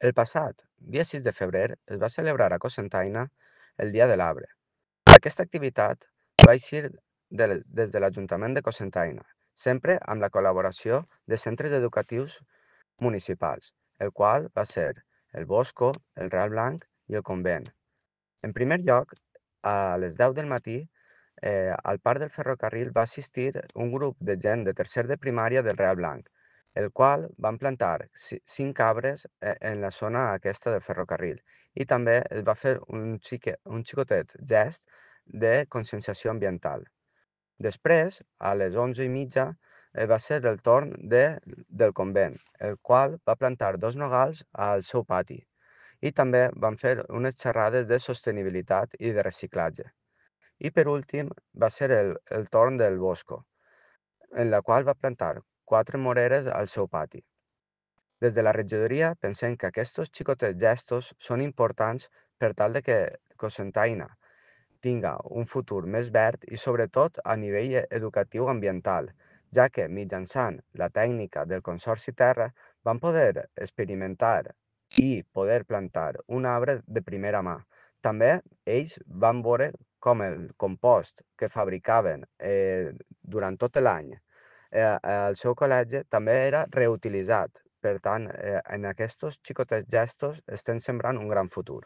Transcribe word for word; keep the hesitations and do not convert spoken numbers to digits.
El passat dia sis de febrer es va celebrar a Cocentaina el Dia de l'Arbre. Aquesta activitat va eixir de, des de l'Ajuntament de Cocentaina, sempre amb la col·laboració de centres educatius municipals, el qual va ser el Bosco, el Real Blanc i el Convent. En primer lloc, a les deu del matí, eh, al parc del ferrocarril va assistir un grup de gent de tercer de primària del Real Blanc, el qual van plantar ci- cinc arbres eh, en la zona aquesta del ferrocarril i també es va fer un, xique, un xicotet gest de conscienciació ambiental. Després, a les onze i mitja, eh, va ser el torn de, del convent, el qual va plantar dos nogals al seu pati i també van fer unes xerrades de sostenibilitat i de reciclatge. I per últim va ser el, el torn del Bosco, en la qual va plantar quatre moreres al seu pati. Des de la regidoria pensem que aquests xicotets gestos són importants per tal de que Cocentaina tinga un futur més verd i sobretot a nivell e- educatiu ambiental, ja que mitjançant la tècnica del Consorci Terra van poder experimentar i poder plantar un arbre de primera mà. També ells van veure com el compost que fabricaven eh, durant tot l'any eh, al seu col·legi també era reutilitzat. Per tant, eh, en aquests xicotets gestos estem sembrant un gran futur.